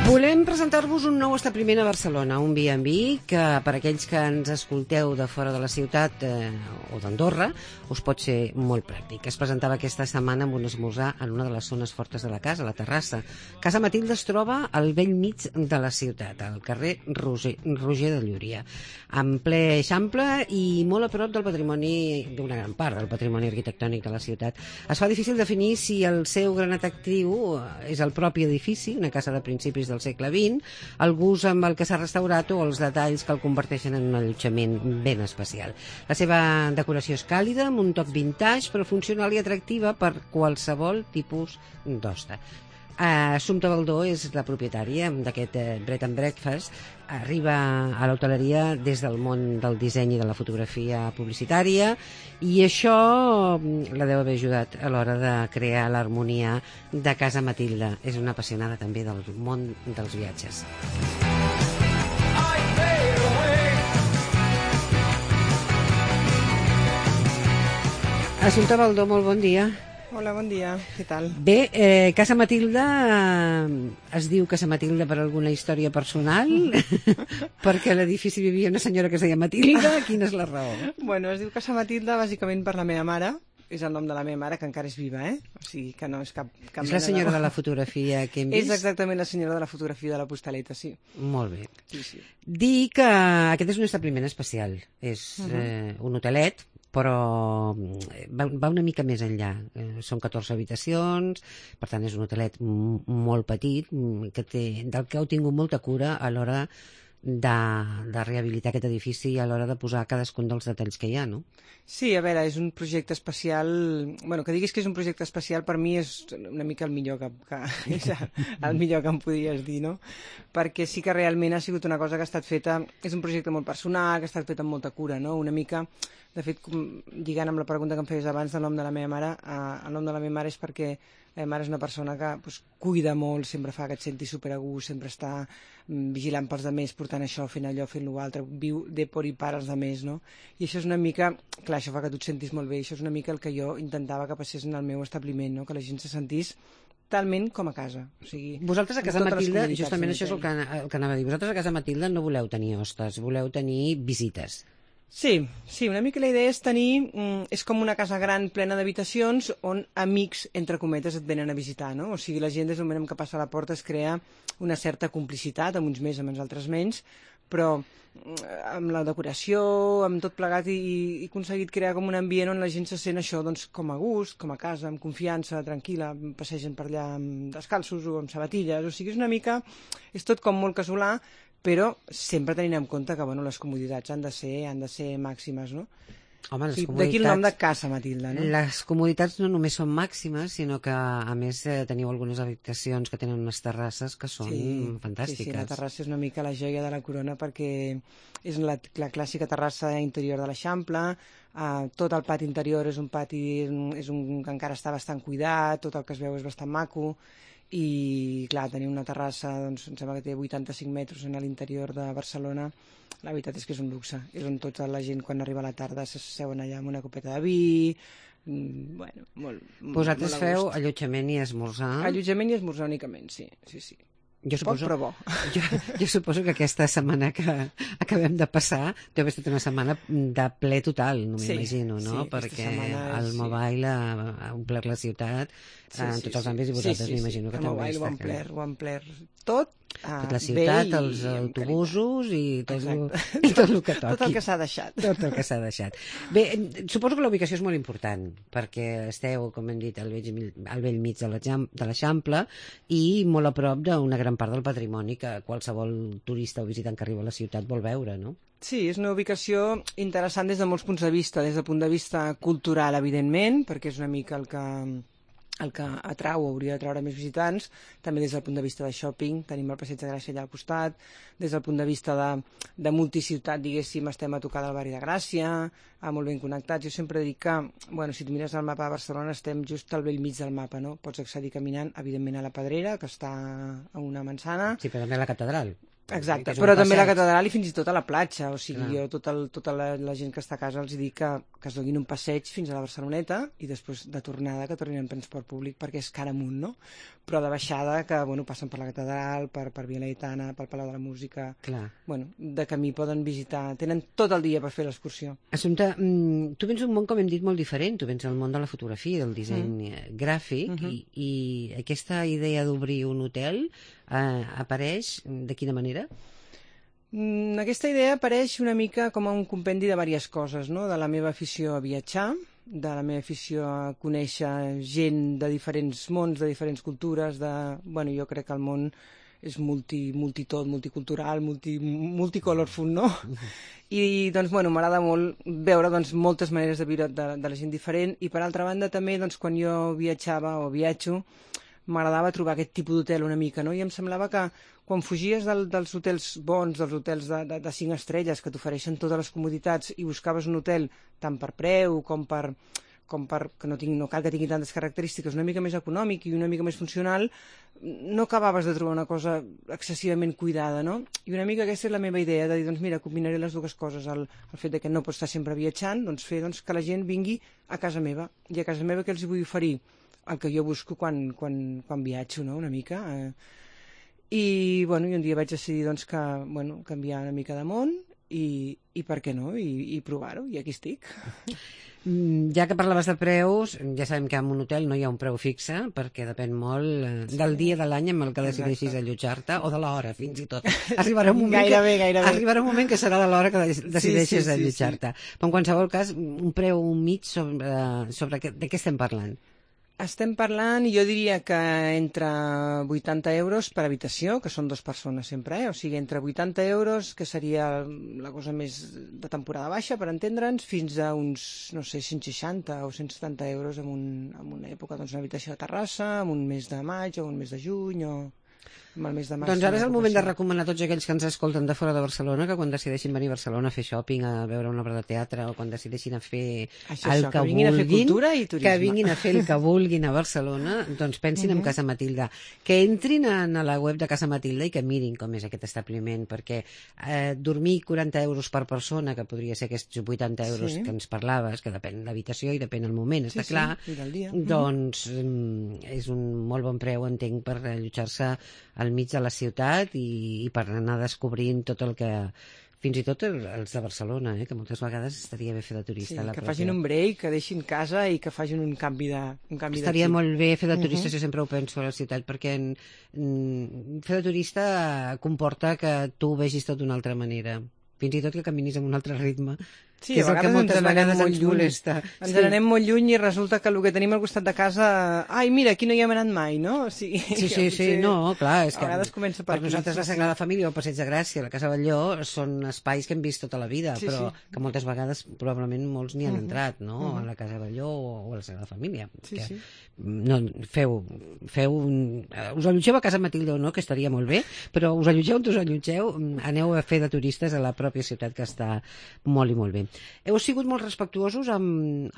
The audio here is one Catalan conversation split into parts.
Volem presentar-vos un nou establiment a Barcelona, un B&B, que per aquells que ens escolteu de fora de la ciutat o d'Andorra, us pot ser molt pràctic. Es presentava aquesta setmana amb un esmorzar en una de les zones fortes de la casa, la terrassa. Casa Matilde es troba al vell mig de la ciutat, al carrer Roger de Llúria, en ple Eixample i molt a prop del patrimoni, d'una gran part del patrimoni arquitectònic de la ciutat. Es fa difícil definir si el seu gran atractiu és el propi edifici, una casa de principis del segle XX, el gust amb el que s'ha restaurat o els detalls que el converteixen en un allotjament ben especial. La seva decoració és càlida, amb un toc vintage, però funcional i atractiva per qualsevol tipus d'hoste. Assumpta Baldó és la propietària d'aquest Bread and Breakfast. Arriba a l'hoteleria des del món del disseny i de la fotografia publicitària, i això la deu haver ajudat a l'hora de crear l'harmonia de Casa Matilde. És una apassionada també del món dels viatges. Assumpta Baldó, molt bon dia. Hola, bon dia. Què tal? Bé, Casa Matilde es diu Casa Matilde per alguna història personal? Perquè a l'edifici vivia una senyora que es deia Matilde? Quina és la raó? Bueno, es diu Casa Matilde bàsicament per la meva mare. És el nom de la meva mare, que encara és viva, O sigui, que no és cap és la senyora de la fotografia que hem vist? És exactament la senyora de la fotografia de la postaleta, sí. Molt bé. Sí. Dir que aquest és un establiment especial. És un hotelet, però va una mica més enllà. Són 14 habitacions, per tant és un hotelet molt petit, del que heu tingut molta cura a l'hora de rehabilitar aquest edifici i a l'hora de posar cadascun dels detalls que hi ha, no? Sí, a veure, és un projecte especial. Bueno, que diguis que és un projecte especial per mi és una mica el millor és el millor que em podries dir, no? Perquè sí que realment ha sigut una cosa que ha estat feta, és un projecte molt personal, que ha estat fet amb molta cura, no? Una mica, de fet, lligant amb la pregunta que em feies abans del nom de la meva mare, el nom de la meva mare és perquè la meva mare és una persona que cuida molt, sempre fa que et sentis super a gust, sempre està vigilant pels altres, portant això, fent allò, fent l'altre, viu de por i per als altres, no? I això és una mica, clar, això fa que tu et sentis molt bé, això és una mica el que jo intentava que passés en el meu establiment, no? Que la gent se sentís talment com a casa. O sigui, vosaltres a Casa Matilde, justament això és el que anava a dir, vosaltres a Casa Matilde no voleu tenir hostes, voleu tenir visites. Sí, una mica la idea és tenir, és com una casa gran plena d'habitacions on amics, entre cometes, et venen a visitar, no? O sigui, la gent des del moment que passa a la porta es crea una certa complicitat, amb uns més, amb els altres menys, però amb la decoració, amb tot plegat, i he aconseguit crear com un ambient on la gent se sent això, doncs, com a gust, com a casa, amb confiança, tranquil·la, passegen per allà descalços o amb sabatilles, o sigui, és una mica, és tot com molt casolà, però sempre tenint en compte que les comoditats han de ser màximes, no? Home, les comoditats... D'aquí el nom de Casa Matilde, no? Les comoditats no només són màximes, sinó que, a més, teniu algunes habitacions que tenen unes terrasses que són fantàstiques. Sí, la terrassa és una mica la joia de la corona perquè és la clàssica terrassa interior de l'Eixample, tot el pati interior és un pati que encara està bastant cuidat, tot el que es veu és bastant maco, i clar, tenir una terrassa, doncs em sembla que té 85 metres en l'interior de Barcelona, la veritat és que és un luxe, és on tota la gent quan arriba a la tarda s'asseuen allà amb una copeta de vi, vosaltres feu allotjament i esmorzar? Allotjament i esmorzar únicament, sí. Poc però bo. Jo suposo que aquesta setmana que acabem de passar deu haver estat una setmana de ple total, no m'imagino, no? Perquè el Mobile ha omplert la ciutat en tots els àmbits, i vosaltres m'imagino que també està. El Mobile ho ha omplert tot, la ciutat, els autobusos i tot el que toqui. Tot el que s'ha deixat. Tot el que s'ha deixat. Bé, suposo que la ubicació és molt important, perquè esteu, com hem dit, al vell mig de l'Eixample i molt a prop d'una gran part del patrimoni que qualsevol turista o visitant que arriba a la ciutat vol veure, no? Sí, és una ubicació interessant des de molts punts de vista. Des del punt de vista cultural, evidentment, perquè és una mica el que atrau o hauria d'atraure més visitants, també des del punt de vista de shopping, tenim el Passeig de Gràcia allà al costat, des del punt de vista de multiciutat, diguéssim, estem a tocar del barri de Gràcia, molt ben connectats. Jo sempre dic que, si tu mires el mapa de Barcelona, estem just al vell mig del mapa, no? Pots accedir caminant, evidentment, a la Pedrera, que està a una manzana. Sí, però també a la catedral. Exacte, però també a la catedral i fins i tot a la platja, o sigui, jo tota la gent que està a casa els dic que es donin un passeig fins a la Barceloneta i després de tornada que tornin en transport públic perquè és cara amunt, no? però de baixada, que passen per la catedral, per Via Laietana, pel Palau de la Música. Clar. De camí poden visitar, tenen tot el dia per fer l'excursió. Assumpta, tu vens d'un món, com hem dit, molt diferent. Tu vens del món de la fotografia, del disseny gràfic, i aquesta idea d'obrir un hotel apareix de quina manera? Aquesta idea apareix una mica com un compendi de diverses coses, no? De la meva afició a viatjar, de la meva afició a conèixer gent de diferents mons, de diferents cultures, jo crec que el món és multitot, multicultural, multicolorful, no? I, m'agrada molt veure, moltes maneres de viure de la gent diferent, i per altra banda també, quan jo viatjava o viatjo, m'agradava trobar aquest tipus d'hotel una mica, no? I em semblava que quan fugies dels hotels bons, dels hotels de 5 estrelles, que t'ofereixen totes les comoditats, i buscaves un hotel tant per preu com per que no cal que tingui tantes característiques, una mica més econòmic i una mica més funcional, no acabaves de trobar una cosa excessivament cuidada, no? I una mica aquesta és la meva idea, de dir, mira, combinaré les dues coses, el fet de que no pots estar sempre viatjant, fer que la gent vingui a casa meva, i a casa meva què els vull oferir? El que jo busco quan viatjo, no?, una mica. I un dia vaig decidir canviar una mica de món i per què no, i provar-ho, i aquí estic. Ja que parlaves de preus, ja sabem que en un hotel no hi ha un preu fixe, perquè depèn molt del dia de l'any amb el que decideixis allotjar-te, o de l'hora, fins i tot. Arribarà un moment arribarà un moment que serà de l'hora que decideixis allotjar-te. Però en qualsevol cas, un preu mig sobre de què estem parlant? Estem parlant, jo diria que entre 80 euros per habitació, que són 2 persones sempre, o sigui, entre 80 euros, que seria la cosa més de temporada baixa, per entendre'ns, fins a uns, 160 o 170 euros en una època, una habitació de Terrassa, en un mes de maig o un mes de juny, o el mes de març. Doncs ara és el moment de recomanar a tots aquells que ens escolten de fora de Barcelona que quan decideixin venir a Barcelona a fer shopping, a veure una obra de teatre, o quan decideixin a fer el que vulguin, a fer cultura i turisme. Que vinguin a fer el que vulguin a Barcelona, doncs pensin en Casa Matilde. Que entrin a la web de Casa Matilde i que mirin com és aquest establiment, perquè dormir 40 euros per persona, que podria ser aquests 80 euros que ens parlaves, que depèn de l'habitació i depèn del moment, està clar, doncs és un molt bon preu, entenc, per allotjar-se al mig de la ciutat i per anar descobrint tot el que... Fins i tot els de Barcelona, que moltes vegades estaria bé fer de turista. Sí, que facin un break, que deixin casa i que facin un canvi de estaria molt bé fer de turista, jo sempre ho penso a la ciutat, perquè fer de turista comporta que tu ho vegis tot d'una altra manera. Fins i tot que caminis amb un altre ritme, que és el que moltes vegades ens molesta. Ens n'anem molt lluny i resulta que el que tenim al costat de casa... Ai, mira, aquí no hi hem anat mai, no? O sigui, sí, no, clar, és que per nosaltres la Sagrada Família o el Passeig de Gràcia, la Casa Batlló, són espais que hem vist tota la vida, però que moltes vegades probablement molts n'hi han entrat, no?, a la Casa Batlló o a la Sagrada Família. No, us allotgeu a Casa Matilde o no, que estaria molt bé, però us allotgeu on us allotgeu, aneu a fer de turistes a la pròpia ciutat, que està molt i molt bé. Heu sigut molt respectuosos amb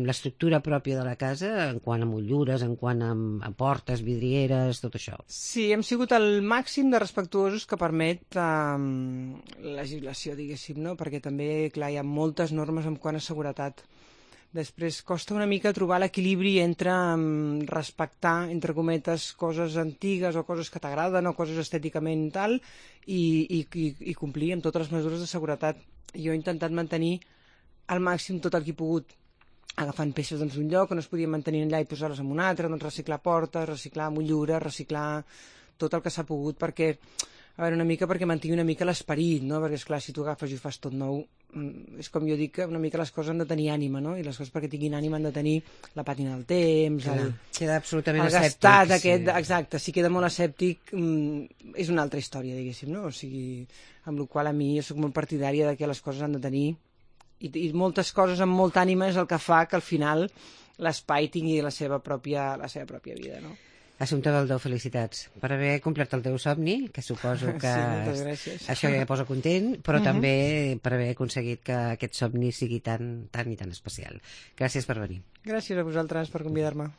l'estructura pròpia de la casa, en quant a motllures, en quant a portes, vidrieres, tot això. Sí, hem sigut el màxim de respectuosos que permet la legislació, diguéssim, no? Perquè també, clar, hi ha moltes normes en quant a seguretat. Després costa una mica trobar l'equilibri entre respectar, entre cometes, coses antigues o coses que t'agraden o coses estèticament tal, i complir amb totes les mesures de seguretat. Jo he intentat mantenir al màxim tot el que he pogut, agafant peces d'un lloc que no es podien mantenir allà i posar-les en un altre, reciclar portes, reciclar motllures, reciclar tot el que s'ha pogut, perquè una mica perquè mantingui una mica l'esperit, no? Perquè, esclar, si tu agafes i ho fas tot nou, és com jo dic, que una mica les coses han de tenir ànima, no? I les coses perquè tinguin ànima han de tenir la pàtina del temps, queda absolutament el gastat aquest, exacte, si queda molt escèptic és una altra història, diguéssim, no? O sigui, amb la qual a mi jo soc molt partidària de que les coses han de tenir, i moltes coses amb molta ànima és el que fa que al final l'espai tingui la seva pròpia vida, no? Assumpta Baldó, felicitats per haver complert el teu somni, que suposo que això ja posa content, però també per haver aconseguit que aquest somni sigui tan i tan especial. Gràcies per venir. Gràcies a vosaltres per convidar-me.